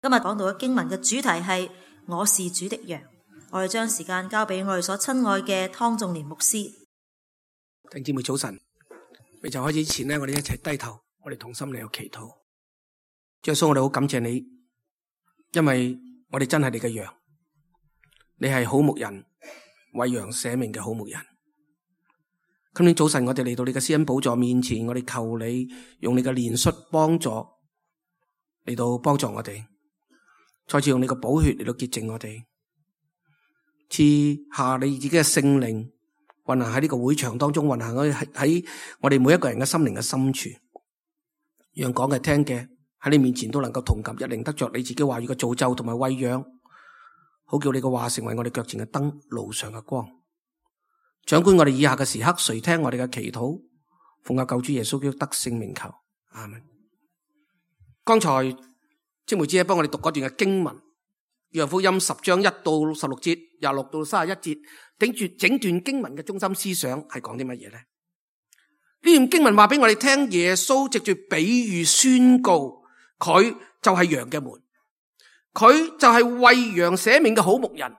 今日講到嘅經文嘅主題係我是主的羊。我哋將時間交俾我哋所親愛嘅湯仲年牧師。弟兄姊妹早晨，未就開始之前呢，我哋一齊低頭，我哋同心嚟去祈禱。主耶穌，我哋好感謝你，因為我哋真係你嘅羊，你係好牧人，為羊捨命嘅好牧人。今天早晨我哋嚟到你嘅施恩寶座面前，我哋求你用你嘅憐恤幫助嚟到幫助我哋，再次用你嘅寶血嚟到潔淨我哋，賜下你自己嘅聖靈運行喺呢個會場當中，運行喺我哋每一個人嘅心靈嘅深處，讓講嘅聽嘅喺你面前都能夠同感一靈，得着你自己話語嘅造就同埋餵養，好叫你嘅話成為我哋腳前嘅燈，路上嘅光。掌管我哋以下嘅時刻，垂聽我哋嘅祈禱，奉我救主耶穌基督得聖名求，阿們。剛才姊妹姐幫我哋讀嗰段嘅經文，約翰福音10章1到16節，26到31節，頂住整段經文嘅中心思想係講啲乜嘢呢？呢段經文話俾我哋聽，耶穌藉住比喻宣告，佢就係羊嘅門，佢就係為羊捨命嘅好牧人。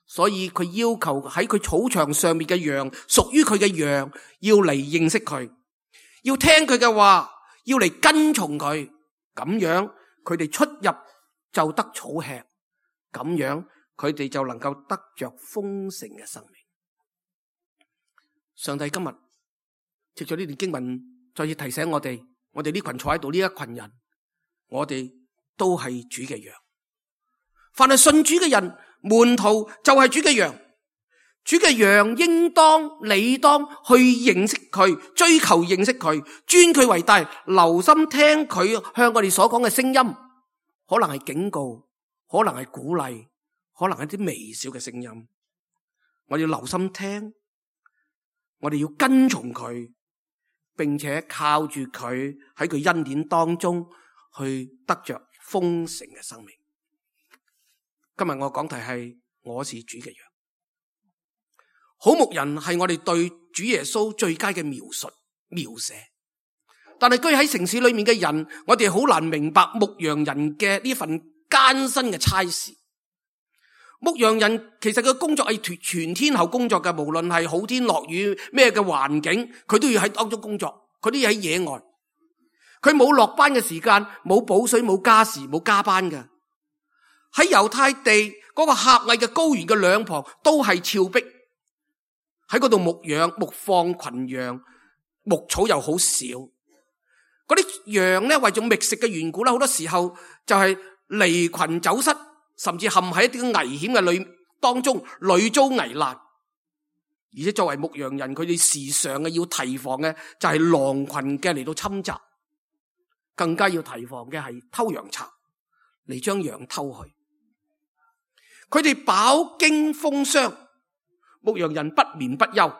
所以佢要求喺佢草場上面嘅羊，屬於佢嘅羊，要嚟認識佢，要聽佢嘅話，要嚟跟從佢，咁樣佢哋出入就得草吃，咁樣佢哋就能夠得着豐盛嘅生命。上帝今日藉着呢段經文，再次提醒我哋呢群坐喺度呢一群人，我哋都係主嘅羊。凡係信主嘅人，門徒就係主嘅羊，主嘅羊應當理當去認識佢，追求認識佢，尊佢為大，留心聽佢向我哋所講嘅聲音，可能係警告，可能係鼓勵，可能係啲微小嘅聲音，我哋要留心聽，我哋要跟從佢，並且靠住佢喺佢恩典當中去得着豐盛嘅生命。今日我講題係我是主嘅羊。好牧人係我哋對主耶穌最佳嘅描寫，但係居喺城市裏面嘅人，我哋好難明白牧羊人嘅呢份艱辛嘅差事。牧羊人其實佢工作係全天候工作嘅，無論係好天落雨咩嘅環境，佢都要喺當中工作，佢都要喺野外，佢冇落班嘅時間，冇補水，冇加時，冇加班嘅。喺猶太地嗰個狹隘嘅高原嘅兩旁都係峭壁，喺嗰度牧養牧放群羊，牧草又好少。嗰啲羊咧，為咗覓食嘅緣故啦，好多時候就係離群走失，甚至陷喺一啲危險嘅當中，屢遭危難。而且作為牧羊人，佢哋時常嘅要提防嘅就係狼群嘅嚟到侵襲，更加要提防嘅係偷羊賊嚟將羊偷去。佢哋飽經風霜，牧羊人不眠不休，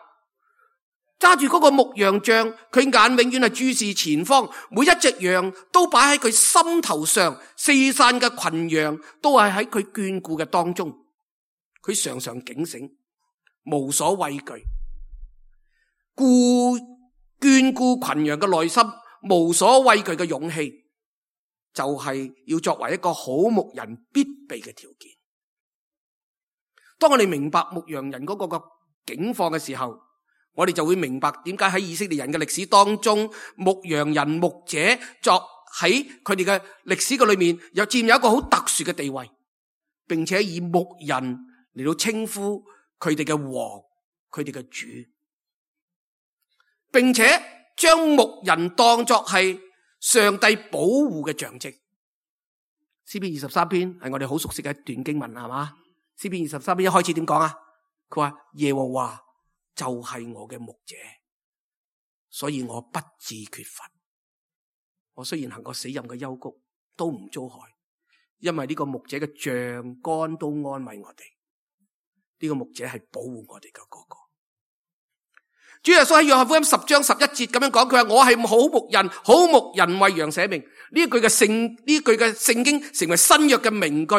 揸住嗰個牧羊杖，佢眼永遠係注視前方，每一隻羊都擺喺佢心頭上，四散嘅群羊都係喺佢眷顧嘅當中，佢常常警醒，無所畏懼，眷顧群羊嘅內心，無所畏懼嘅勇氣，就係要作為一個好牧人必備嘅條件。當我哋明白牧羊人嗰個境況嘅時候，我哋就會明白點解喺以色列人嘅歷史當中，牧羊人牧者作喺佢哋嘅歷史嘅裏面，又佔有一個好特殊嘅地位，並且以牧人嚟到稱呼佢哋嘅王，佢哋嘅主，並且將牧人當作係上帝保護嘅象徵。詩篇23篇係我哋好熟悉嘅一段經文，係嘛？詩篇23篇一開始點講啊？佢話耶和華就係我嘅牧者，所以我不致缺乏。我雖然行過死蔭嘅幽谷，都唔遭害，因為呢個牧者嘅杖竿都安慰我哋。呢個牧者係保護我哋嘅嗰個。主耶穌喺約翰福音10章11節咁樣講，佢話我係好牧人，好牧人為羊捨命。呢句嘅聖經成為新約嘅名句。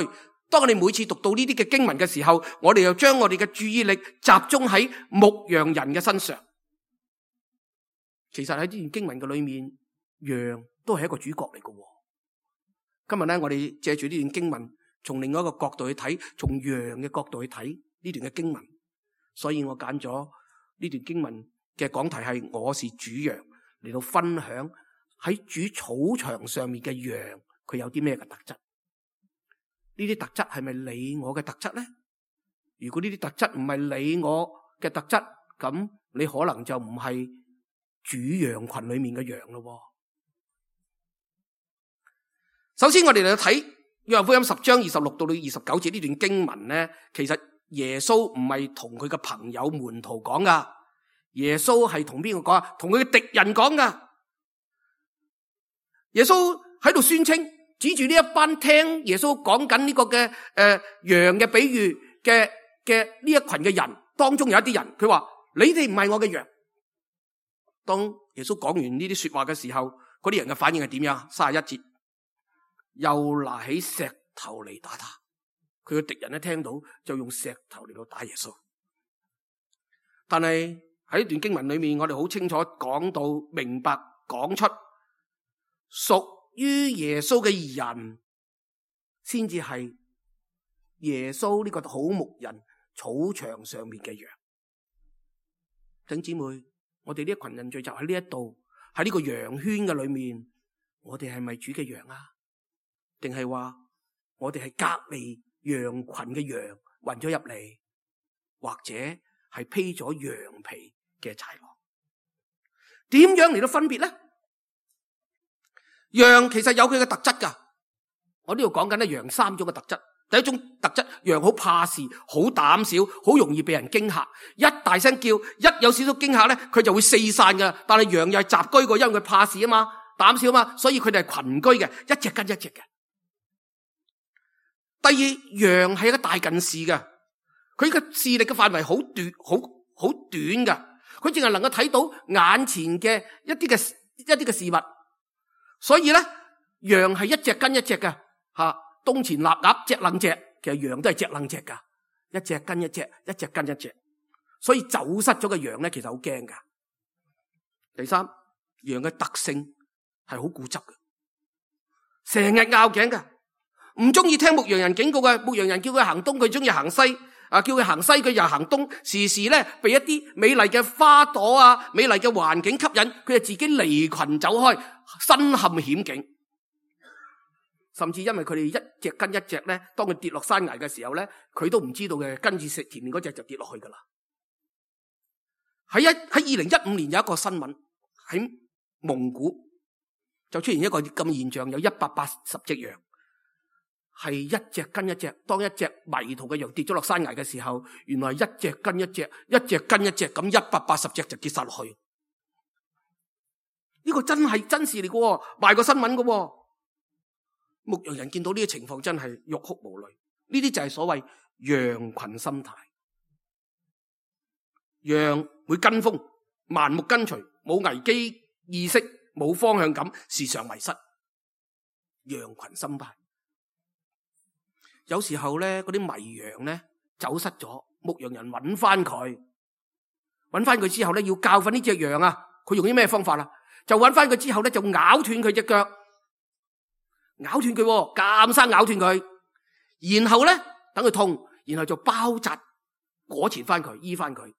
當我哋每次讀到呢啲嘅經文嘅時候，我哋又將我哋嘅注意力集中喺牧羊人嘅身上。其實喺呢段經文嘅裏面，羊都係一個主角嚟嘅。今日咧，我哋借住呢段經文，從另外一個角度去睇，從羊嘅角度去睇呢段嘅經文，所以我揀咗呢段經文嘅講題係我是主羊，嚟到分享喺主草場上面嘅羊，佢有啲咩嘅特質？呢啲特質係咪你我嘅特質咧？如果呢啲特質唔係你我嘅特質，咁你可能就唔係主羊群裏面嘅羊咯。首先我哋嚟睇約翰福音10章26到29節呢段經文咧，其實耶穌唔係同佢嘅朋友門徒講噶，耶穌係同邊個講啊？同佢嘅敵人講噶。耶穌喺度宣稱，指住呢一班聽耶穌講緊呢個嘅羊嘅比喻嘅呢一群嘅人當中，有一啲人佢話：你哋唔係我嘅羊。當耶穌講完呢啲說話嘅時候，嗰啲人嘅反應係點樣？31節，又拿起石頭嚟打他。佢嘅敵人一聽到就用石頭嚟到打耶穌。但係喺呢段經文裏面，我哋好清楚講到明白講出屬於耶穌嘅人先至係耶穌呢個好牧人草場上面嘅羊。弟兄姊妹，我哋呢一群人聚集喺呢一度，喺呢個羊圈嘅裏面，我哋係咪主嘅羊啊？定係話我哋係隔離羊群嘅羊混咗入嚟，或者係披咗羊皮嘅豺狼？點樣嚟到分別咧？羊其實有佢嘅特質噶，我呢度講緊咧羊3種嘅特質。第一種特質，羊好怕事，好膽小，好容易被人驚嚇。一大聲叫，一有少少驚嚇咧，佢就會四散噶。但係羊又係雜居個，因為佢怕事啊嘛，膽小啊嘛，所以佢哋係群居嘅，一隻跟一隻嘅。第二，羊係一個大近視嘅，佢嘅視力嘅範圍好短，好短噶，佢淨係能夠睇到眼前嘅一啲嘅事物。所以咧，羊係一隻跟一隻嘅，東前立鴨，隻楞隻，其實羊都係隻楞隻噶，一隻跟一隻，一隻跟一隻。所以走失咗嘅羊咧，其實好驚噶。第三，羊嘅特性係好固執嘅，成日拗頸嘅，唔中意聽牧羊人警告嘅。牧羊人叫佢行東，佢中意行西；叫佢行西，佢又行東。時時咧被一啲美麗嘅花朵啊、美麗嘅環境吸引，佢就自己離群走開，身陷險境。甚至因為佢哋一隻跟一隻咧，當佢跌落山崖嘅時候咧，佢都唔知道嘅，跟住食前面嗰隻就跌落去噶啦。喺2015年有一個新聞，喺蒙古就出現一個咁現象，有180隻羊係一隻跟一隻。當一隻迷途嘅羊跌咗落山崖嘅時候，原來一隻跟一隻，一隻跟一隻，咁180隻就跌晒落去。呢個真係真事嚟嘅，賣過新聞嘅。牧羊人見到呢個情況真係欲哭無淚。呢啲就係所謂羊群心態。羊會跟風，盲目跟隨，冇危機意識，冇方向感，時常迷失。羊群心態。有時候咧，嗰啲迷羊咧走失咗，牧羊人揾翻佢之後咧，要教訓呢隻羊啊。佢用啲咩方法啊？就揾翻佢之後咧，就咬斷佢隻腳。咬斷佢，監生咬斷佢，然後咧等佢痛，然後就包紮裹纏翻佢，醫翻佢，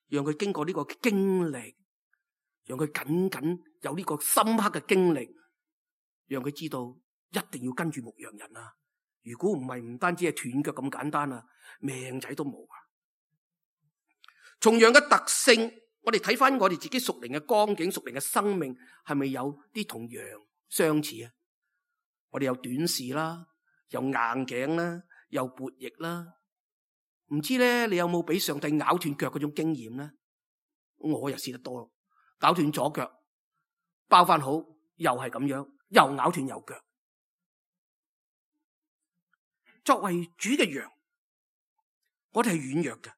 讓佢經過呢個經歷，讓佢僅僅有呢個深刻嘅經歷，讓佢知道一定要跟住牧羊人啊！如果唔係，唔單止係斷腳咁簡單啊，命仔都冇啊！從羊嘅特性，我哋睇翻我哋自己屬靈嘅光景、屬靈嘅生命，係咪有啲同羊相似啊？我哋有短視啦，有硬頸啦，有悖逆啦。唔知咧，你有冇俾上帝咬斷腳嗰種經驗咧？我又試得多，咬斷左腳，包翻好，又係咁樣，又咬斷右腳。作為主嘅羊，我哋係軟弱嘅，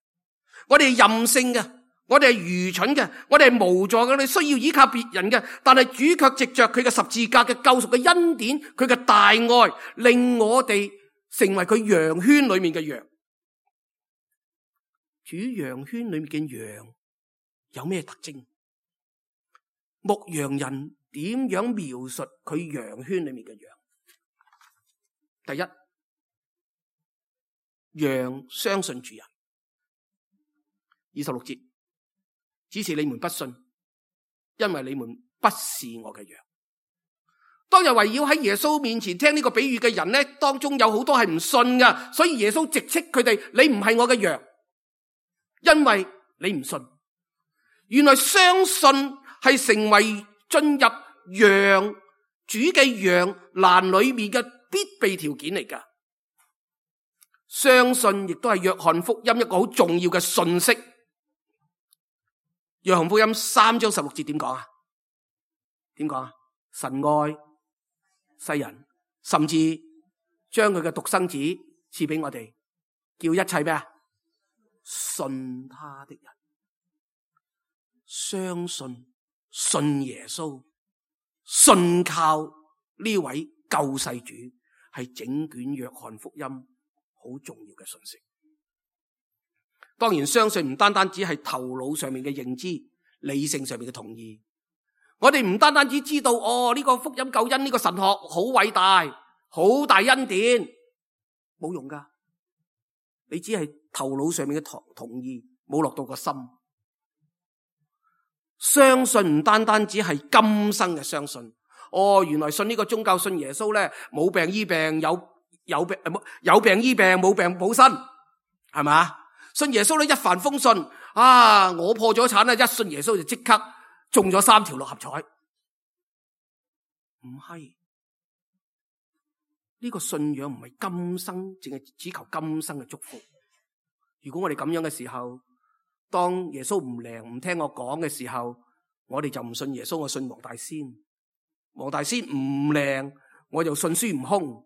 我哋係任性嘅，我哋係愚蠢嘅，我哋係無助嘅，我哋需要依靠別人嘅。但係主卻藉着佢嘅十字架嘅救贖嘅恩典，佢嘅大愛，令我哋成為佢羊圈裏面嘅羊。主羊圈裏面嘅羊有咩特徵？牧羊人點樣描述佢羊圈裏面嘅羊？第一，羊相信主人。26節，只是你們不信，因為你們不是我嘅羊。當日圍繞喺耶穌面前聽呢個比喻嘅人呢，當中有好多係唔信㗎，所以耶穌直斥佢哋：你唔係我嘅羊，因為你唔信。原來相信係成為進入羊主嘅羊欄裏面嘅必備條件嚟㗎。相信亦都係約翰福音一個好重要嘅信息。約翰福音3章16節點講啊？點講啊？神愛世人，甚至將佢嘅獨生子賜俾我哋，叫一切咩啊？信他的人，相信耶穌，信靠呢位救世主，係整卷約翰福音好重要嘅信息。當然相信唔單單只係頭腦上面嘅認知，理性上面嘅同意。我哋唔單單只知道呢個福音救恩呢個神學好偉大，好大恩典，冇用噶。你只係頭腦上面嘅同意，冇落到個心。相信唔單單只係今生嘅相信。原來信呢個宗教，信耶穌咧，冇病醫病，有病醫病，冇病補身，係咪？信耶穌咧，一帆風順。我破咗產啦，一信耶穌就即刻中咗3條六合彩。唔係，呢個信仰唔係今生，淨係只求今生嘅祝福。如果我哋咁樣嘅時候，當耶穌唔靈唔聽我講嘅時候，我哋就唔信耶穌，我信黃大仙。黃大仙唔靈，我就信孫悟空。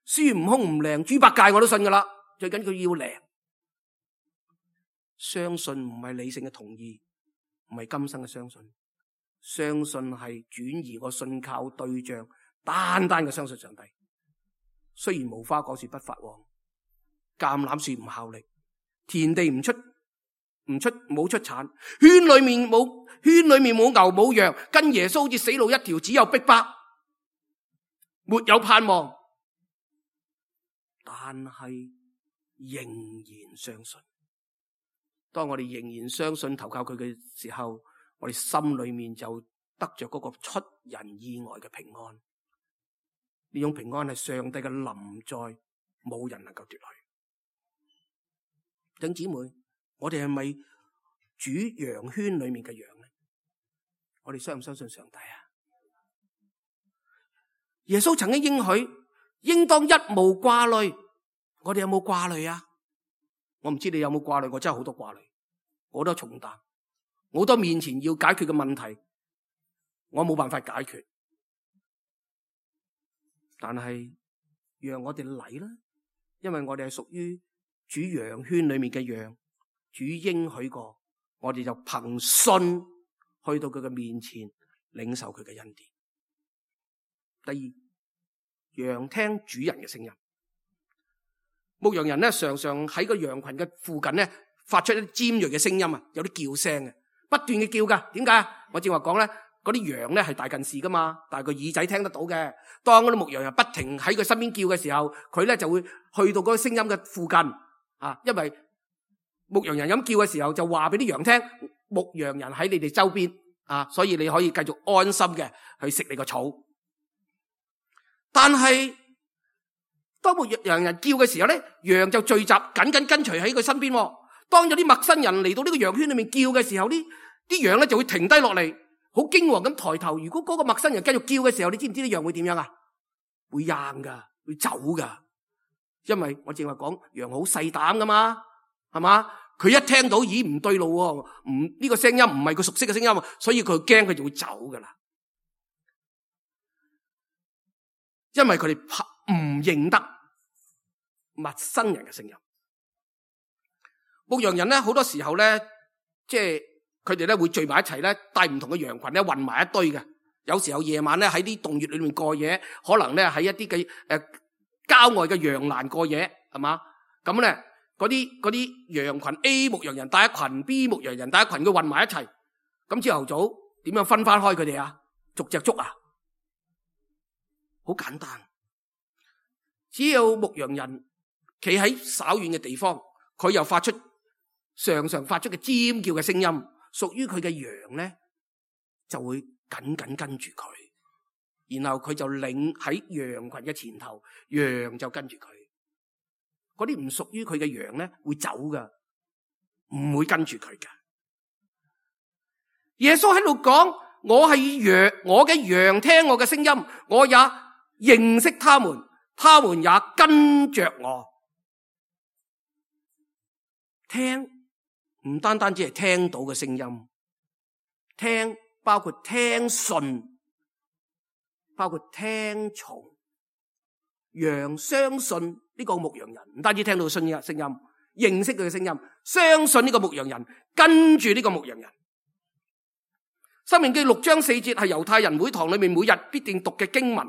孫悟空唔靈，豬八戒我都信噶啦。最緊佢要靈。相信唔係理性嘅同意，唔係今生嘅相信。相信係轉移個信靠對象，單單嘅相信上帝。雖然無花果樹不發旺，橄欖樹唔效力，田地冇出產，圈裏面冇牛冇羊，跟耶穌好似死路一條，只有逼迫，沒有盼望，但係仍然相信。當我哋仍然相信投靠佢嘅時候，我哋心裏面就得着嗰個出人意外嘅平安。呢種平安係上帝嘅臨在，冇人能夠奪去。弟兄姊妹，我哋係咪主羊圈裏面嘅羊呢？我哋相唔相信上帝啊？耶穌曾經應許，應當一無掛慮。我哋有冇掛慮啊？我唔知你有冇掛慮，我真係好多掛慮，好多重擔，好多面前要解決嘅問題，我冇辦法解決。但係讓我哋嚟啦，因為我哋係屬於主羊圈裏面嘅羊，主應許過，我哋就憑信去到佢嘅面前，領受佢嘅恩典。第二，羊聽主人嘅聲音。牧羊人咧，常常喺個羊群嘅附近咧，發出一啲尖銳嘅聲音啊，有啲叫聲嘅，不斷嘅叫噶。點解啊？我正話講咧，嗰啲羊咧係大近視噶嘛，但係個耳仔聽得到嘅。當嗰啲牧羊人不停喺佢身邊叫嘅時候，佢咧就會去到嗰個聲音嘅附近啊，因為牧羊人咁叫嘅時候，就話俾啲羊聽，牧羊人喺你哋周邊啊，所以你可以繼續安心嘅去食你個草。但係當牧羊人叫嘅時候咧，羊就聚集緊緊跟隨喺佢身邊。當有啲陌生人嚟到呢個羊圈裏面叫嘅時候，啲羊咧就會停低落嚟，好驚惶咁抬頭。如果嗰個陌生人繼續叫嘅時候，你知唔知啲羊會點樣啊？會扔噶，會走噶。因為我正話講，羊好細膽噶嘛，係嘛？佢一聽到咦唔對路喎，呢個聲音唔係佢熟悉嘅聲音，所以佢驚，佢就會走噶啦。因為佢哋唔認得陌生人嘅聲音。牧羊人咧，好多時候咧，即係佢哋咧會聚埋一齊咧，帶唔同嘅羊群咧混埋一堆嘅。有時候夜晚咧喺啲洞穴裏面過夜，可能咧喺一啲嘅郊外嘅羊欄過夜，係嘛？咁咧嗰啲羊群 A 牧羊人帶一群 ，B 牧羊人帶一群，佢混埋一齊。咁朝頭早點樣分翻開佢哋啊？逐隻捉啊？好簡單。只有牧羊人企喺稍遠嘅地方，佢又常常發出嘅尖叫嘅聲音，屬於佢嘅羊咧就會緊緊跟住佢，然後佢就領喺羊群嘅前頭，羊就跟住佢。嗰啲唔屬於佢嘅羊咧會走噶，唔會跟住佢噶。耶穌喺度講，我係羊，我嘅羊聽我嘅聲音，我也認識他們，他們也跟着我。聽唔單單只係聽到嘅聲音，聽包括聽信，包括聽從。羊相信呢個牧羊人，唔單止聽到信嘅聲音，認識佢嘅聲音，相信呢個牧羊人，跟住呢個牧羊人。申命記6章4節係猶太人會堂裏面每日必定讀嘅經文。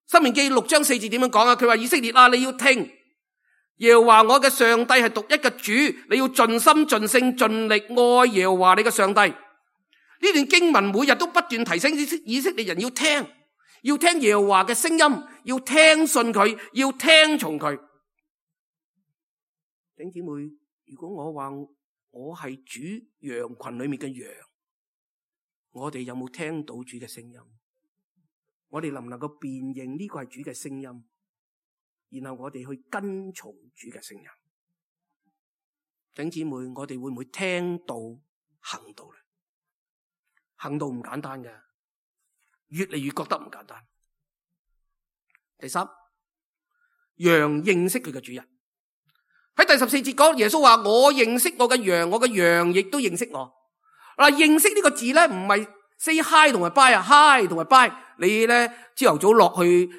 申命記6章4節點樣講啊？佢話，以色列啊，你要聽，耶和華我嘅上帝係獨一嘅主，你要盡心盡性盡力愛耶和華你嘅上帝。呢段經文每日都不斷提醒以色列人要聽耶和華嘅聲音，要聽信佢，要聽從佢。弟兄姊妹，如果我話我係主羊群裏面嘅羊，我哋有冇聽到主嘅聲音？我哋能唔能夠辨認呢個係主嘅聲音？然後我哋去跟從主嘅聲音。弟兄姊妹，我哋會唔會聽到行道咧？行道唔簡單嘅，越嚟越覺得唔簡單。第三，羊認識佢嘅主人。喺第14節講，耶穌話，我認識我嘅羊，我嘅羊亦都認識我。嗱，認識呢個字咧，唔係 say hi 同埋 bye 啊 ，hi 同埋 bye。你咧朝頭早落去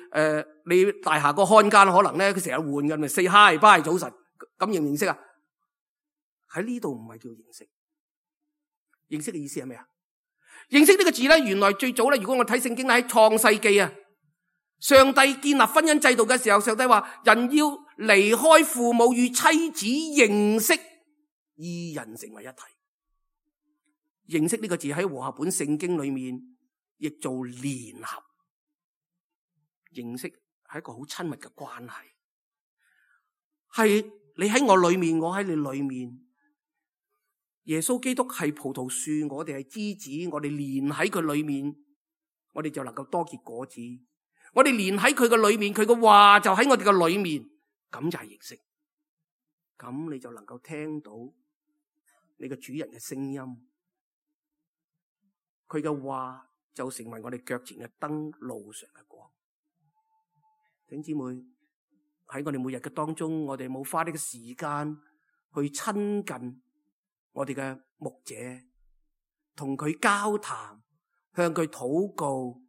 你大廈個看更可能咧佢成日換嘅，咪 say hi bye 早晨，咁認唔認識啊？喺呢度唔係叫認識。認識嘅意思係咩啊？認識呢個字咧，原來最早咧，如果我睇聖經喺創世記啊，上帝建立婚姻制度嘅時候，上帝話人要離開父母與妻子認識，二人成為一體。認識呢個字喺和合本聖經裏面亦做聯合。認識係一個好親密嘅關係，係你喺我裏面，我喺你裏面。耶穌基督係葡萄樹，我哋係枝子，我哋連喺佢裏面，我哋就能夠多結果子。我哋連喺佢嘅裏面，佢嘅話就喺我哋嘅裏面，咁就係認識。咁你就能夠聽到你嘅主人嘅聲音，佢嘅話就成為我哋腳前嘅燈，路上嘅光。弟兄姊妹，喺我哋每日嘅當中，我哋冇花呢個時間去親近我哋嘅牧者，同佢交談，向佢禱告，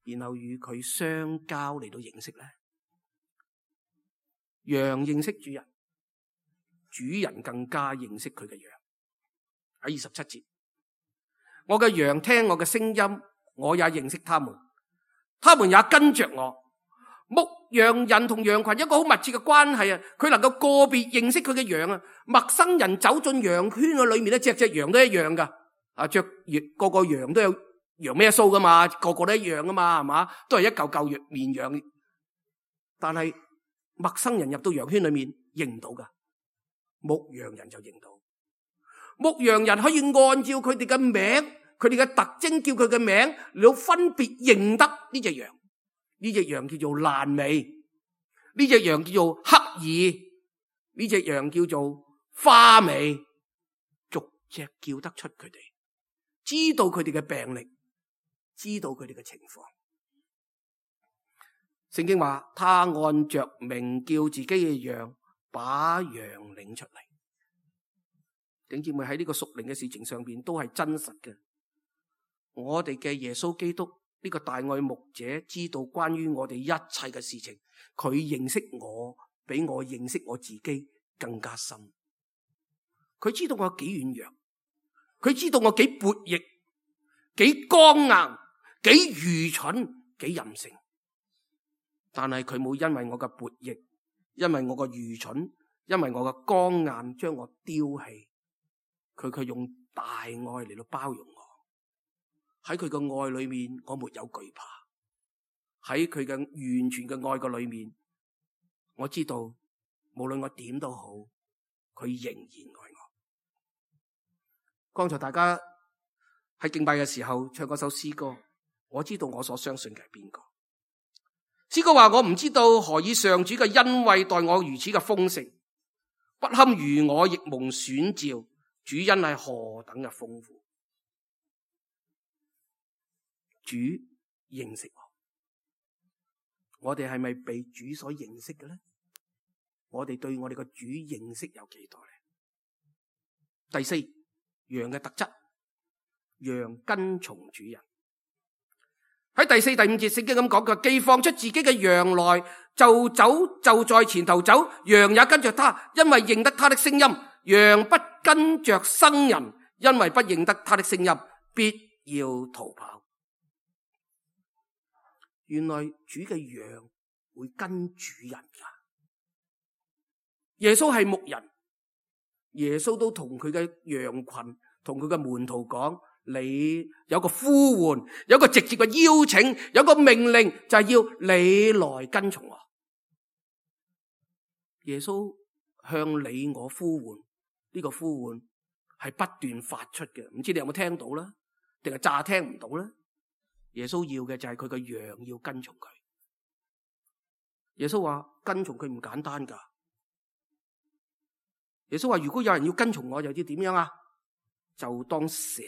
然後與佢相交嚟到認識咧。羊認識主人，主人更加認識佢嘅羊。喺27節，我嘅羊聽我嘅聲音，我也認識他們，他們也跟着我。牧羊人同羊群一個好密切嘅關係啊，佢能夠個別認識佢嘅羊啊。陌生人走進羊圈嘅裏面咧，隻隻羊都一樣噶。啊，個個羊都有羊咩鬚噶嘛，個個都一樣噶嘛，係嘛？都係一嚿嚿綿羊。但係陌生人入到羊圈裏面認唔到噶，牧羊人就認到。牧羊人可以按照佢哋嘅名，佢哋嘅特徵叫佢嘅名，嚟到分別認得呢隻羊。呢隻羊叫做爛尾，呢隻羊叫做黑耳，呢隻羊叫做花尾，逐隻叫得出佢哋，知道佢哋嘅病歷，知道佢哋嘅情況。聖經話，他按着名叫自己嘅羊，把羊領出嚟。弟兄姊妹，喺呢個屬靈嘅事情上邊都係真實嘅。我哋嘅耶穌基督呢個大愛牧者知道關於我哋一切嘅事情，佢認識我比我認識我自己更加深。佢知道我幾軟弱，佢知道我幾悖逆，幾剛硬，幾愚蠢，幾任性。但係佢冇因為我嘅悖逆，因為我嘅愚蠢，因為我嘅剛硬將我丟棄，佢卻用大愛嚟到包容我。喺佢嘅愛裏面，我沒有懼怕。喺佢嘅完全嘅愛嘅裏面，我知道無論我點都好，佢仍然愛我。剛才大家喺敬拜嘅時候唱嗰首詩歌，我知道我所相信嘅係邊個。詩歌話，我唔知道何以上主嘅恩惠待我如此嘅豐盛，不堪如我亦蒙選召，主恩係何等嘅豐富。主認識我哋係咪被主所認識嘅咧？我哋對我哋個主認識有幾多咧？第四，羊嘅特質，羊跟從主人。喺第4、第5節聖經咁講嘅，既放出自己嘅羊來，就在前頭走，羊也跟着他，因為認得他的聲音。羊不跟着生人，因為不認得他的聲音，必要逃跑。原來主嘅羊會跟主人噶。耶穌係牧人，耶穌都同佢嘅羊群，同佢嘅門徒講，你有個呼喚，有個直接嘅邀請，有個命令，就係要你來跟從我。耶穌向你我呼喚，呢個呼喚係不斷發出嘅，唔知你有冇聽到啦？定係詐聽唔到咧？耶穌要嘅就係佢個羊要跟從佢。耶穌話跟從佢唔簡單噶。耶穌話如果有人要跟從我，又要點樣啊？就當捨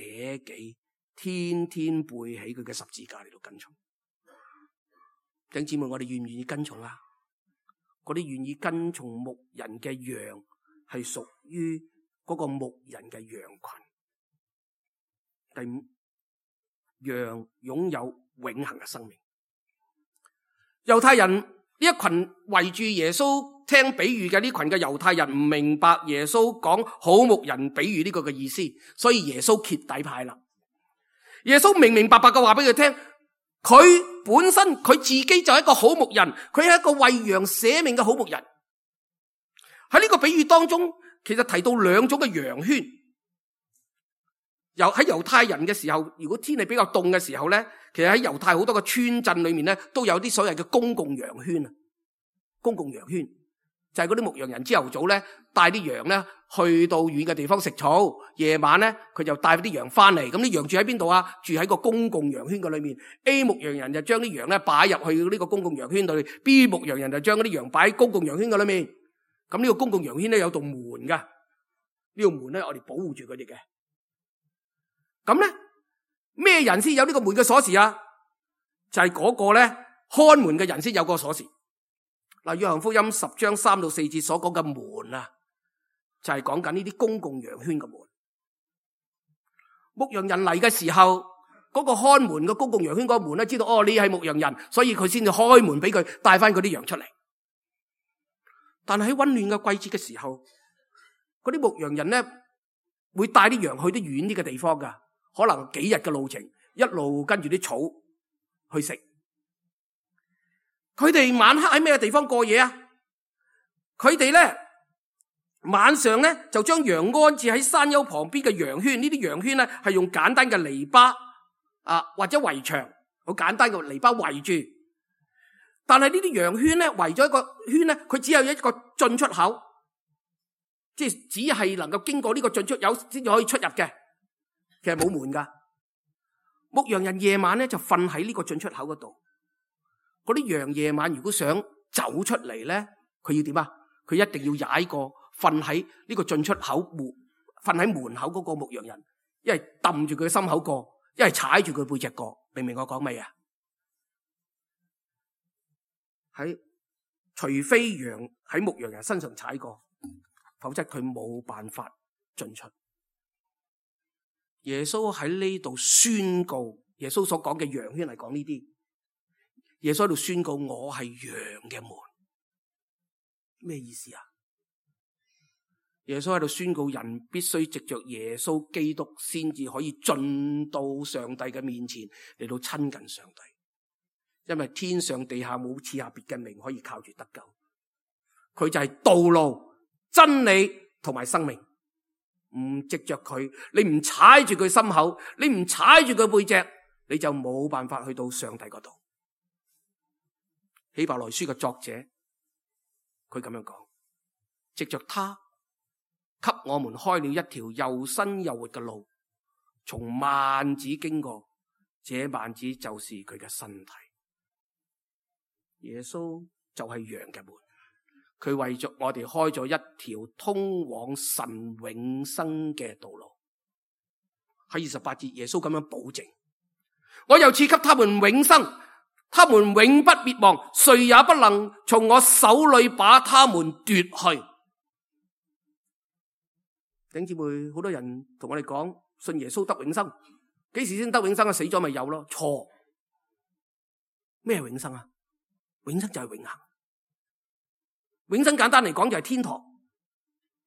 己，天天背起佢嘅十字架嚟到跟從。弟兄姊妹，我哋願唔願意跟從啊？嗰啲願意跟從牧人嘅羊，係屬於嗰個牧人嘅羊群。第五，羊擁有永恆嘅生命。猶太人呢一群圍住耶穌聽比喻嘅呢群嘅猶太人唔明白耶穌講好牧人比喻呢個嘅意思，所以耶穌揭底牌啦。耶穌明明白白嘅話俾佢聽，佢本身佢自己就係一個好牧人，佢係一個為羊捨命嘅好牧人。喺呢個比喻當中，其實提到兩種嘅羊圈。喺猶太人嘅時候，如果天氣比較凍嘅時候咧，其實喺猶太好多個村鎮裏面咧，都有啲所謂嘅公共羊圈啊。公共羊圈就係嗰啲牧羊人朝頭早咧帶啲羊咧去到遠嘅地方食草，夜晚咧佢就帶啲羊翻嚟。咁啲羊住喺邊度啊？住喺個公共羊圈嘅裏面。A 牧羊人就將啲羊咧擺入去呢個公共羊圈裏 ，B 牧羊人就將嗰啲羊擺喺公共羊圈嘅裏面。咁呢個公共羊圈咧有道門噶，呢道門咧我哋保護住佢哋嘅。咁咧咩人先有呢個門嘅鎖匙啊？就係嗰個咧看門嘅人先有個鎖匙。嗱，約翰福音10章3到4節所講嘅門啊，就係講緊呢啲公共羊圈嘅門。牧羊人嚟嘅時候，嗰個看門嘅公共羊圈嗰個門咧，知道哦，你係牧羊人，所以佢先至開門俾佢帶翻嗰啲羊出嚟。但係喺溫暖嘅季節嘅時候，嗰啲牧羊人咧會帶啲羊去啲遠啲嘅地方噶。可能幾日嘅路程，一路跟住啲草去食。佢哋晚黑喺咩地方過夜啊？佢哋咧晚上咧就將羊安置喺山丘旁邊嘅羊圈。呢啲羊圈咧係用簡單嘅籬笆或者圍牆，好簡單嘅籬笆圍住。但係呢啲羊圈咧圍咗一個圈咧，佢只有一個進出口，即係只係能夠經過呢個進出口先至可以出入嘅。其實冇門噶。牧羊人夜晚咧就瞓喺呢個進出口嗰度。嗰啲羊夜晚如果想走出嚟咧，佢要點啊？佢一定要踩過瞓喺呢個進出口門，瞓喺門口嗰個牧羊人，一係揼住佢嘅心口過，一係踩住佢背脊過。明唔明我講咩啊？除非羊喺牧羊人身上踩過，否則佢冇辦法進出。耶穌喺呢度宣告，耶穌所講嘅羊圈係講呢啲。耶穌喺度宣告，我係羊嘅門。咩意思啊？耶穌喺度宣告，人必須藉着耶穌基督先至可以進到上帝嘅面前，嚟到親近上帝。因為天上地下冇賜下別嘅名可以靠住得救。佢就係道路、真理同埋生命。唔藉着佢，你唔踩住佢心口，你唔踩住佢背脊，你就冇辦法去到上帝嗰度。希伯來書嘅作者，佢咁樣講：藉着他，給我們開了一條又新又活嘅路，從幔子經過，這幔子就是佢嘅身體。耶穌就係羊嘅門，佢為着我哋開咗一條通往神永生嘅道路。喺28節，耶穌咁樣保證：我又賜給他們永生，他們永不滅亡，誰也不能從我手裏把他們奪去。弟兄姊妹，好多人同我哋講信耶穌得永生，幾時先得永生啊？死咗咪有咯？錯。咩係永生啊？永生就係永恆。永生簡單嚟講就係天堂。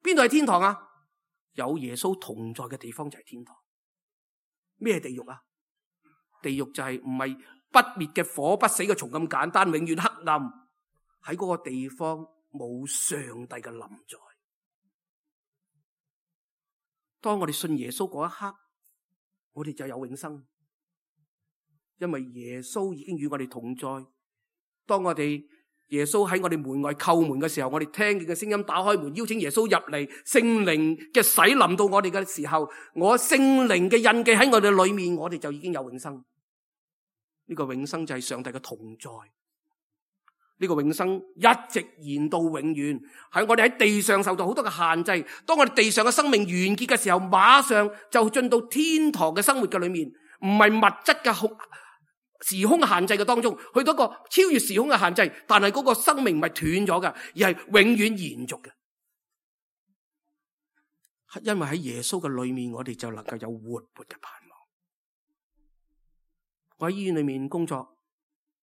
邊度係天堂啊？有耶穌同在嘅地方就係天堂。咩地獄啊？地獄就係唔係不滅嘅火、不死嘅蟲咁簡單，永遠黑暗。喺嗰個地方冇上帝嘅臨在。當我哋信耶穌嗰一刻，我哋就有永生，因為耶穌已經與我哋同在。當我哋耶穌喺我哋門外叩門嘅時候，我哋聽見嘅聲音，打開門邀請耶穌入嚟，聖靈嘅洗臨到我哋嘅時候，我聖靈嘅印記喺我哋裏面，我哋就已經有永生。呢個永生就係上帝嘅同在。呢個永生一直延到永遠，喺我哋喺地上受到好多嘅限制。當我哋地上嘅生命完結嘅時候，馬上就進到天堂嘅生活嘅裏面，唔係物質嘅時空限制嘅當中，去到一個超越時空嘅限制，但係嗰個生命唔係斷咗嘅，而係永遠延續嘅。因為喺耶穌嘅裏面，我哋就能夠有活潑嘅盼望。我喺醫院裏面工作，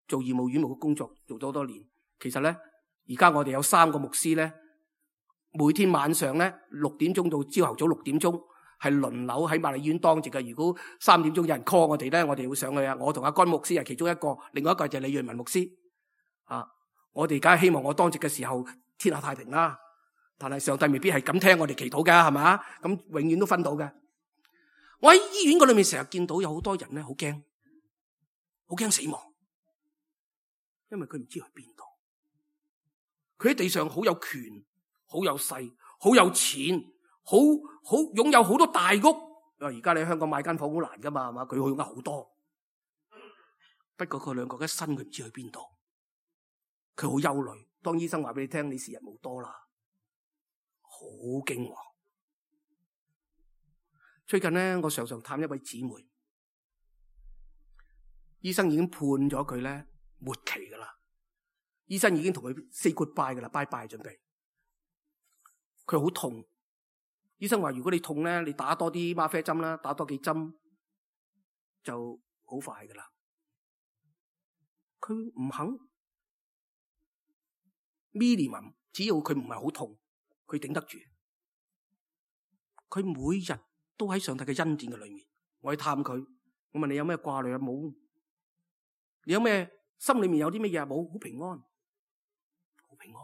做義務院務嘅工作，做咗好多年。其實咧，而家我哋有3個牧師咧，每天晚上咧6點鐘到朝頭早6點鐘。係輪流喺瑪麗醫院當值嘅。如果3點鐘有人 call 我哋咧，我哋會上去啊。我同阿甘牧師係其中一個，另外一個就係李潤文牧師啊。我哋梗係希望我當值嘅時候天下太平啦。但係上帝未必係咁聽我哋祈禱嘅，係嘛？咁永遠都分到嘅。我喺醫院嗰裏面成日見到有好多人咧，好驚死亡，因為佢唔知去邊度。佢喺地上好有權、好有勢、好有錢。好擁有好多大屋，而家你喺香港買間房好難噶嘛，係嘛？佢擁有好多，不過佢兩個一生佢唔知去邊度，佢好憂慮。當醫生話俾你聽，你時日無多啦，好驚惶。最近咧，我常常探一位姊妹，醫生已經判咗佢咧末期噶啦，醫生已經同佢 say goodbye 噶啦，拜拜準備。佢好痛。醫生話：如果你痛咧，你打多啲嗎啡針啦，打多幾針就好快噶啦。佢唔肯 minimum， 只要佢唔係好痛，佢頂得住。佢每日都喺上帝嘅恩典嘅裏面。我去探佢，我問你有咩掛慮啊？冇。你有咩心裏面有啲乜嘢啊？冇，好平安，好平安，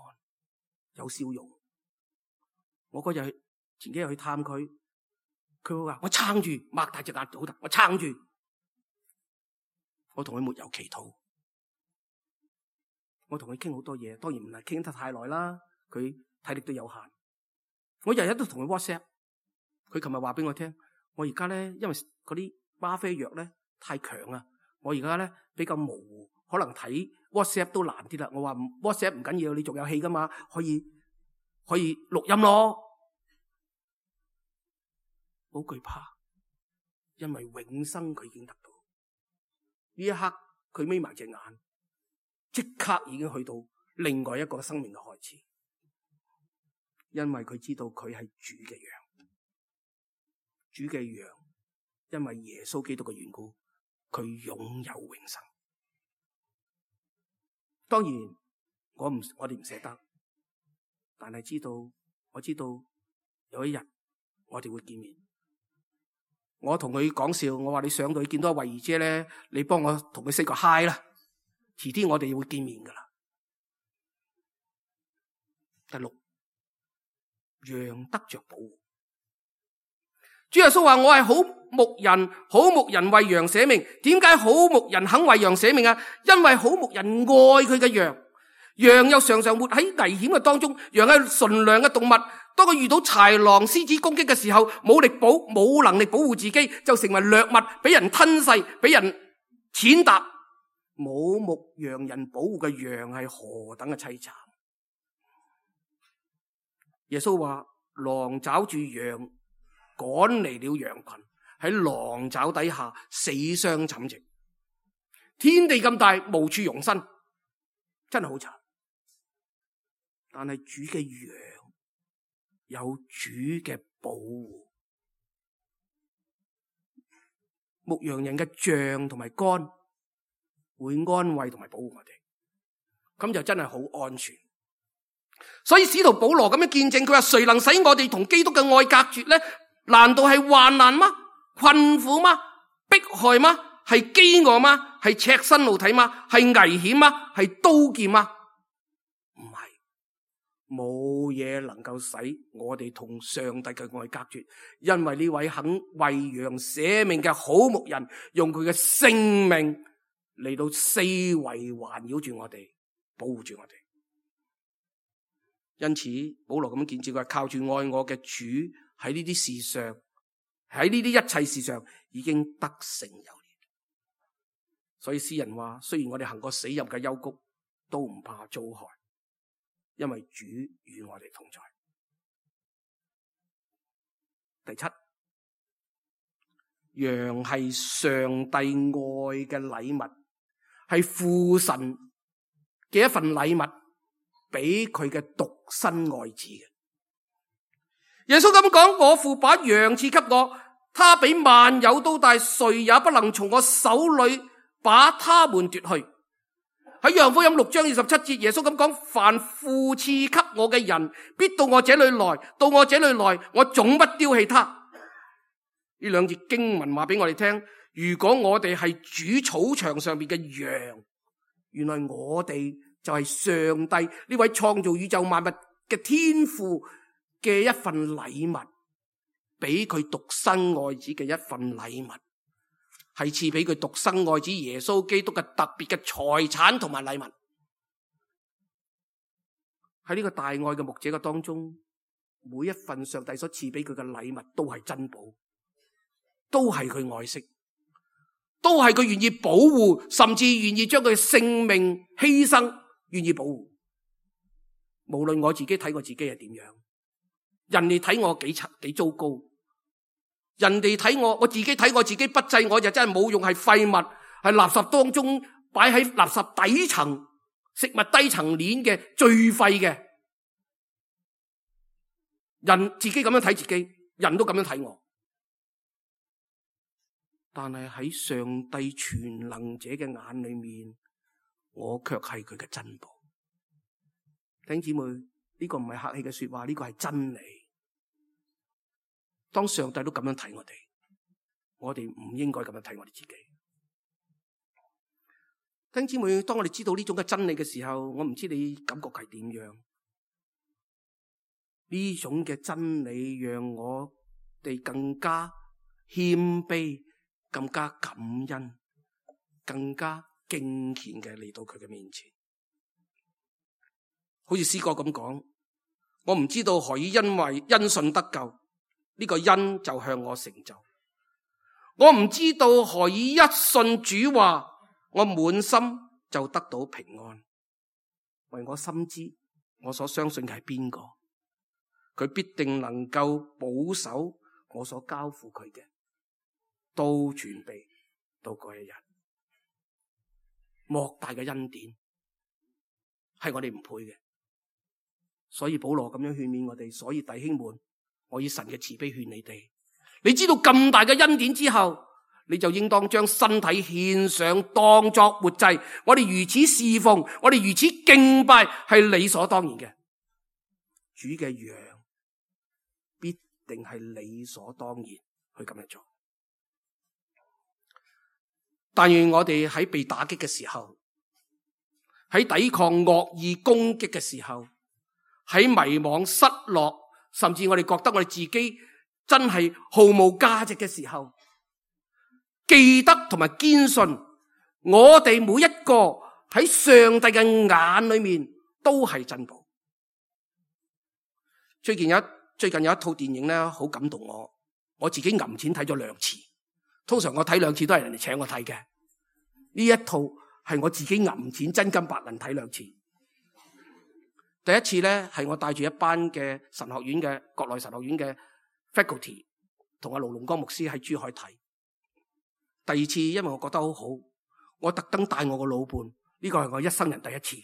有笑容。我嗰日。前幾日去探佢，佢會話：我撐住，擘大隻眼好得，我撐住。我同佢沒有祈禱，我同佢傾好多嘢，當然唔係傾得太耐啦。佢體力都有限，我日日都同佢 WhatsApp。佢琴日話俾我聽，我而家咧因為嗰啲嗎啡藥咧太強啊，我而家咧比較模糊，可能睇 WhatsApp 都難啲啦。我話 WhatsApp 唔緊要，你仲有氣噶嘛，可以錄音咯。好懼怕，因為永生佢已經得到。呢一刻佢眯埋隻眼，即刻已經去到另外一個生命嘅開始。因為佢知道佢係主嘅羊，主嘅羊，因為耶穌基督嘅緣故，佢擁有永生。當然，我哋唔捨得，但係我知道有一日我哋會見面。我同佢講笑，我話你上到去見到阿慧儀姐咧，你幫我同佢 say 個 hi 啦。遲啲我哋會見面噶啦。第6，羊得着保護。主耶穌話：我係好牧人，好牧人為羊捨命。點解好牧人肯為羊捨命啊？因為好牧人愛佢嘅羊，羊又常常活喺危險嘅當中，羊係純良嘅動物，當佢遇到豺狼、獅子攻擊嘅時候，冇能力保護自己，就成為掠物，俾人吞噬，俾人踐踏。冇牧羊人保護嘅羊係何等嘅淒慘。耶穌話：狼抓住羊，趕離了羊群，喺狼爪底下死傷慘情。天地咁大，無處容身，真係好慘。但係主嘅羊有主嘅保護，牧羊人嘅杖同埋竿會安慰同埋保護我哋，咁就真係好安全。所以使徒保羅咁樣見證，佢話：誰能使我哋同基督嘅愛隔絕呢？難道係患難嗎？困苦嗎？迫害嗎？係飢餓嗎？係赤身露體嗎？係危險嗎？係刀劍嗎？唔係，冇嘢能夠使我哋同上帝嘅愛隔絕，因為呢位肯為羊捨命嘅好牧人，用佢嘅性命嚟到四圍環繞住我哋，保護住我哋。因此保羅咁樣見證，佢係靠住愛我嘅主喺呢啲事上，喺呢啲一切事上已經得勝有力。所以詩人話：雖然我哋行過死蔭嘅幽谷，都唔怕遭害，因為主與我哋同在。第七，羊係上帝愛嘅禮物，係父神嘅一份禮物，俾佢嘅獨生愛子嘅。耶穌咁講：我父把羊賜給我，他比萬有都大，誰也不能從我手裏把他們奪去。喺約翰福音6章27節，耶穌咁講：凡父賜給我嘅人，必到我這裏來；到我這裏來，我總不丟棄他。呢兩節經文話俾我哋聽，如果我哋係主草場上邊嘅羊，原來我哋就係上帝呢位創造宇宙萬物嘅天父嘅一份禮物，俾佢獨生愛子嘅一份禮物，係賜俾佢獨生愛子耶穌基督嘅特別嘅財產同埋禮物。喺呢個大愛嘅牧者嘅當中，每一份上帝所賜俾佢嘅禮物都係珍寶，都係佢愛惜，都係佢願意保護，甚至願意將佢嘅性命犧牲，願意保護。無論我自己睇我自己係點樣，人哋睇我幾糟糕，人哋睇我自己睇我自己不濟，我就真係冇用，係廢物，係垃圾當中擺喺垃圾底層食物低層鏈嘅最廢嘅人，自己咁樣睇自己，人都咁樣睇我。但係喺上帝全能者嘅眼裏面，我卻係佢嘅珍寶。弟兄姊妹，呢個唔係客氣嘅說話，呢個係真理。當上帝都咁樣睇我哋唔應該咁樣睇我哋自己。弟兄姊妹，當我哋知道呢種嘅真理嘅時候，我唔知你感覺係點樣？呢種嘅真理讓我哋更加謙卑，更加感恩，更加敬虔嘅嚟到佢嘅面前。好似詩歌咁講，我唔知道何以因信得救，呢個因就向我成就。我唔知道何以一信主話，我滿心就得到平安。為我深知我所相信嘅係邊個，佢必定能夠保守我所交付佢嘅，都全備到嗰一日。莫大嘅恩典係我哋唔配嘅，所以保羅咁樣勸勉我哋。所以弟兄們，我以神嘅慈悲勸你哋，你知道咁大嘅恩典之後，你就應當將身體獻上，當作活祭。我哋如此侍奉，我哋如此敬拜，係理所當然嘅。主嘅羊必定係理所當然去咁樣做。但願我哋喺被打擊嘅時候，喺抵抗惡意攻擊嘅時候，喺迷惘失落，甚至我哋覺得我哋自己真係毫無價值嘅時候，記得同埋堅信，我哋每一個喺上帝嘅眼裏面都係珍寶。最近有一套電影咧，好感動我自己揞錢睇咗2次。通常我睇2次都係人哋請我睇嘅，呢一套係我自己揞錢真金白銀睇2次。第一次咧係我帶住一班嘅神學院嘅國內神學院嘅 faculty 同阿盧龍光牧師喺珠海睇。第二次因為我覺得好好，我特登帶我個老伴，呢個係我一生人第一次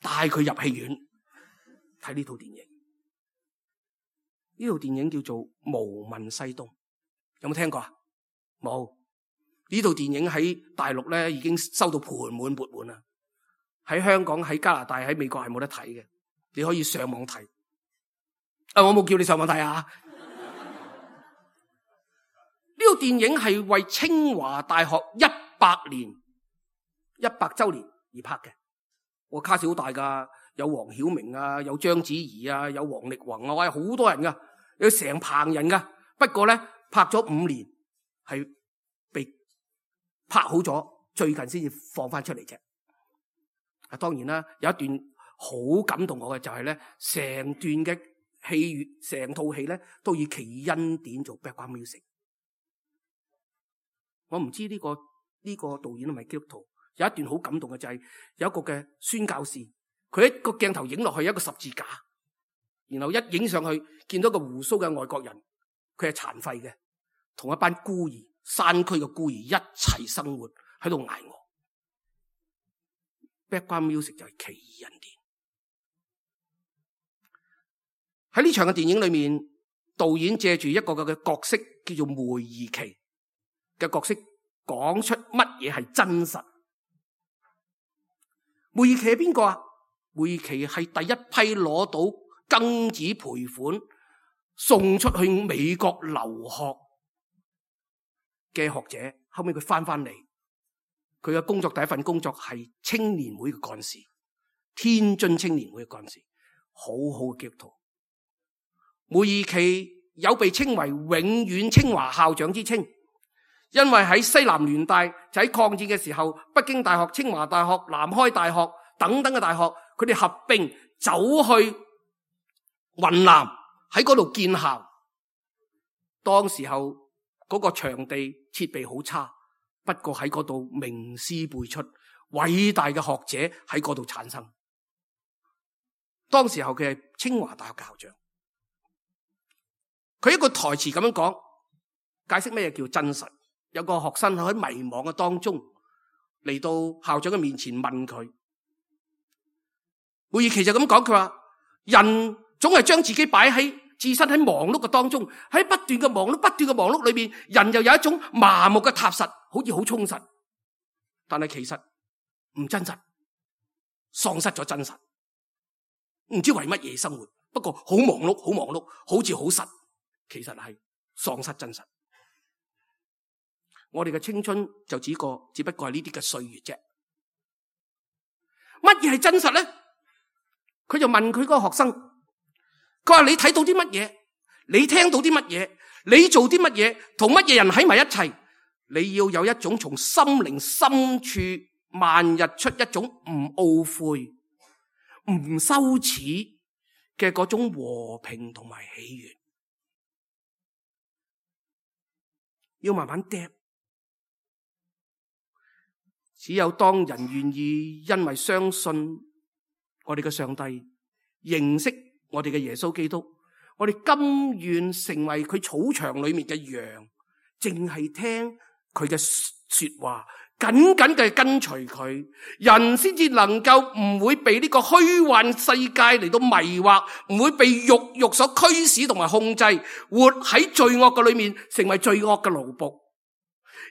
帶佢入戲院睇呢套電影。呢套電影叫做《無問西東》，有冇聽過啊？冇。呢套電影喺大陸咧已經收到盆滿缽滿啦。喺香港、喺加拿大、喺美國係冇得睇嘅，你可以上網睇。我冇叫你上網睇啊！呢套電影係為清華大學100周年而拍嘅。我卡士好大噶，有黃曉明啊，有章子怡啊，有王力宏啊，哇，好多人噶，有成棚人噶。不過咧，拍咗5年，係被拍好咗，最近先至放翻出嚟啫。當然啦，有一段好感動我嘅就係咧，成段嘅戲，成套戲咧都以奇異恩典做 background music。我唔知呢個導演係咪基督徒？有一段好感動嘅就係有一個嘅宣教士，佢一個鏡頭影落去一個十字架，然後一影上去見到個鬍鬚嘅外國人，佢係殘廢嘅，同一班孤兒，山區嘅孤兒一齊生活喺度挨餓。Background music 就係奇異恩典。喺呢場嘅電影裏面，導演借住一個嘅角色叫做梅貽琦嘅角色，講出乜嘢係真實。梅貽琦係邊個啊？梅貽琦係第一批攞到庚子賠款送出去美國留學嘅學者，後尾佢翻嚟。佢嘅工作，第一份工作係青年會嘅幹事，天津青年會嘅幹事，好好嘅基督徒。梅貽琦有被稱為永遠清華校長之稱，因為喺西南聯大就喺抗戰嘅時候，北京大學、清華大學、南開大學等等嘅大學，佢哋合併走去雲南喺嗰度建校。當時候嗰個場地設備好差。不過喺嗰度名師輩出，偉大嘅學者喺嗰度產生。當時候佢係清華大學校長，佢一個台詞咁樣講，解釋咩叫真實。有個學生喺迷茫嘅當中嚟到校長嘅面前問佢，梅貽琦就咁講，佢話人總係將自己擺喺置身喺忙碌嘅當中，喺不斷嘅忙碌裏面，人又有一種麻木嘅踏實，好似好充實，但係其實唔真實，喪失咗真實，唔知為乜嘢生活。不過好忙碌，好似好實，其實係喪失真實。我哋嘅青春就只不過係呢啲嘅歲月啫。乜嘢係真實咧？佢就問佢嗰個學生，佢話你睇到啲乜嘢？你聽到啲乜嘢？你做啲乜嘢？同乜嘢人喺埋一齊？你要有一種從心靈深處漫溢出一種唔懊悔、唔羞恥嘅嗰種和平同埋喜悅。要慢慢嗒。只有當人願意因為相信我哋嘅上帝，認識我哋嘅耶穌基督，我哋甘願成為佢草場裏面嘅羊，淨係聽佢嘅說話，緊緊嘅跟隨佢，人先至能夠唔會被呢個虛幻世界嚟到迷惑，唔會被欲所驅使同埋控制，活喺罪惡嘅裏面，成為罪惡嘅奴僕。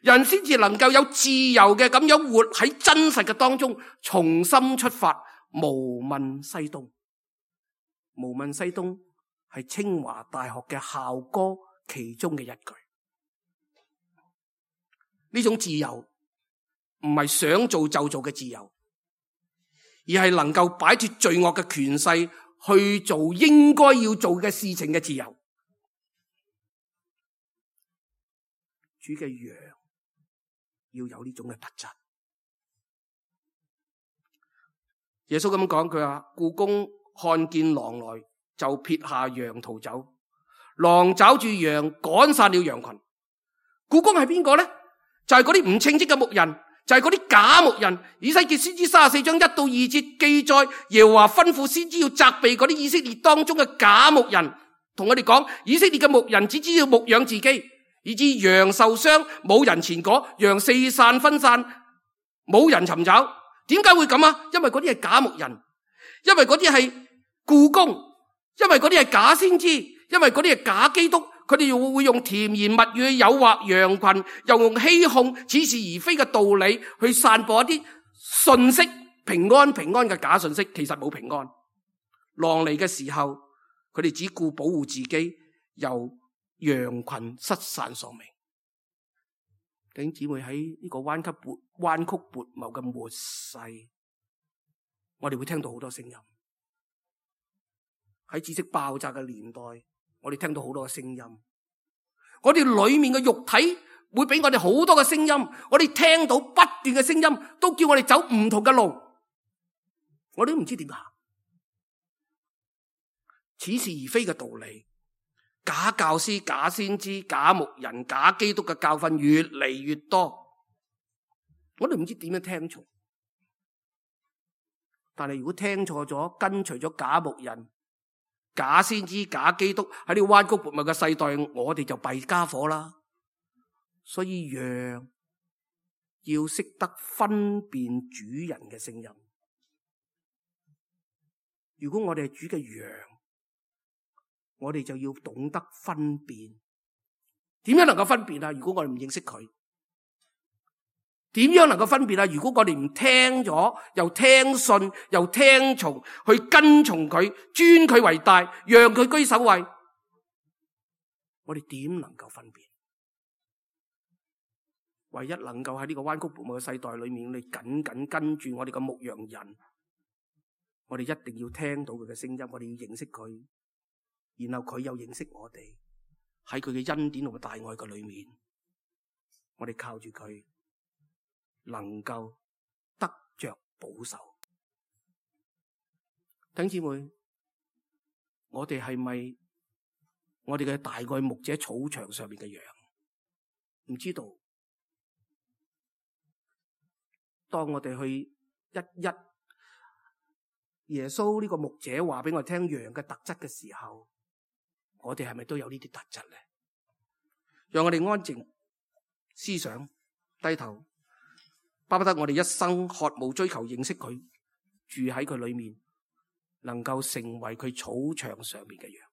人先至能夠有自由嘅咁樣活喺真實嘅當中，重新出發，無問西東。無問西東係清華大學嘅校歌其中嘅一句。呢種自由唔係想做就做嘅自由，而係能夠擺脫罪惡嘅權勢去做應該要做嘅事情嘅自由。主嘅羊要有呢種嘅特質。耶穌咁講，佢話僱工看見狼來，就撇下羊逃走，狼抓住羊，趕散了羊群。僱工係邊個呢？就係嗰啲唔稱職嘅牧人，就係嗰啲假牧人。以西結先知34章1到2節記載，耶和華吩咐先知要責備嗰啲以色列當中嘅假牧人，同我哋講，以色列嘅牧人只知道牧養自己，以致羊受傷，冇人前果，羊四散分散，冇人尋找。點解會咁啊？因為嗰啲係假牧人，因為嗰啲係僱工，因為嗰啲係假先知，因為嗰啲係假基督。佢哋又會用甜言蜜語去誘惑羊群，又用欺哄、似是而非嘅道理去散播一啲信息，平安嘅假信息，其實冇平安。狼嚟嘅時候，佢哋只顧保護自己，由羊群失散喪命。弟兄姊妹，喺呢個彎曲悖謬嘅末世，我哋會聽到好多聲音。喺知識爆炸嘅年代，我哋聽到好多嘅聲音，我哋裏面嘅肉體會俾我哋好多嘅聲音，我哋聽到不斷嘅聲音，都叫我哋走唔同嘅路，我哋都唔知點行。似是而非嘅道理，假教師、假先知、假牧人、假基督嘅教訓越嚟越多，我哋唔知點樣聽從。但係如果聽錯咗，跟隨咗假牧人、假先知、假基督，喺呢個彎曲悖謬嘅世代，我哋就弊家伙啦。所以羊要識得分辨主人嘅聲音。如果我哋係主嘅羊，我哋就要懂得分辨。點樣能夠分辨啊？如果我哋唔認識佢，點樣能夠分辨啊？如果我哋唔聽咗，又聽信，又聽從，去跟從佢，尊佢為大，讓佢居首位，我哋點能夠分辨？唯一能夠喺呢個彎曲悖謬嘅世代裏面，你緊緊跟住我哋嘅牧羊人，我哋一定要聽到佢嘅聲音，我哋要認識佢，然後佢又認識我哋，喺佢嘅恩典同埋大愛嘅裏面，我哋靠住佢，能夠得着保守。弟兄姊妹，我哋係咪我哋嘅大愛牧者草場上面嘅羊？唔知道。當我哋去一耶穌呢個牧者話俾我聽羊嘅特質嘅時候，我哋係咪都有呢啲特質咧？讓我哋安靜思想，低頭，巴不得我哋一生渴慕追求認識佢，住喺佢裏面，能夠成為佢草場上面嘅羊。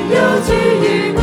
有主與我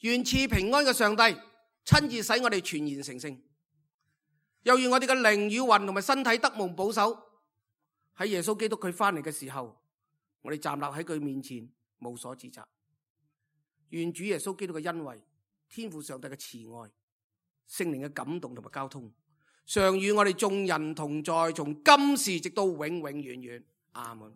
願賜平安嘅上帝親自使我哋全然成聖，又願我哋嘅靈與魂同埋身體得蒙保守，喺耶穌基督佢翻嚟嘅時候，我哋站立喺佢面前無所指責。願主耶穌基督嘅恩惠、天父上帝嘅慈愛、聖靈嘅感動同埋交通，常與我哋眾人同在，從今時直到永永遠遠。阿門。